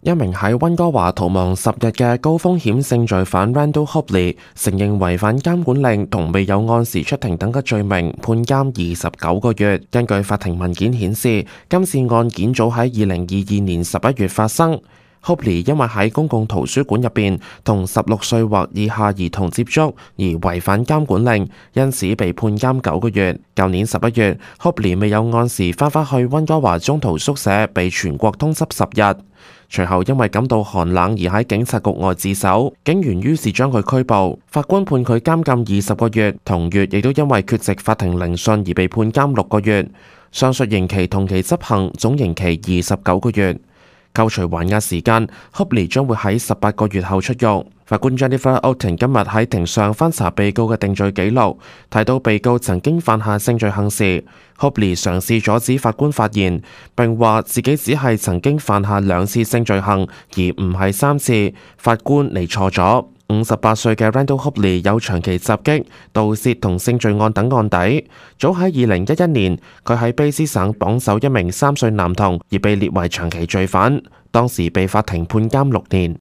一名喺溫哥華逃亡10日嘅高風險性罪犯 Randall Hobley 承認違反監管令同未有按時出庭等嘅罪名，判監29個月。根據法庭文件顯示，今次案件早喺2022年11月發生。Hobley 因為喺公共圖書館入邊同16歲或以下兒童接觸而違反監管令，因此被判監9個月。舊年11月，Hobley 未有按時返返去溫哥華中途宿舍，被全國通緝10日。隨後因為感到寒冷而喺警察局外自首，警員於是將佢拘捕。法官判佢監禁20個月，同月亦都因為缺席法庭聆訊而被判監6個月。上述刑期同期執行，總刑期29個月。扣除還押時間，Hobley 將會喺18個月後出獄。法官 Jennifer Oten 今日喺庭上翻查被告嘅定罪記錄，提到被告曾經犯下性罪行時，Hobley 嘗試阻止法官發言，並話自己只係曾經犯下2次性罪行，而唔係3次。法官你錯咗。58歲嘅 Randall Hobley 有長期襲擊、盜竊同性罪案等案底。早喺2011年，佢喺卑詩省綁走一名3歲男童，而被列為長期罪犯，當時被法庭判監6年。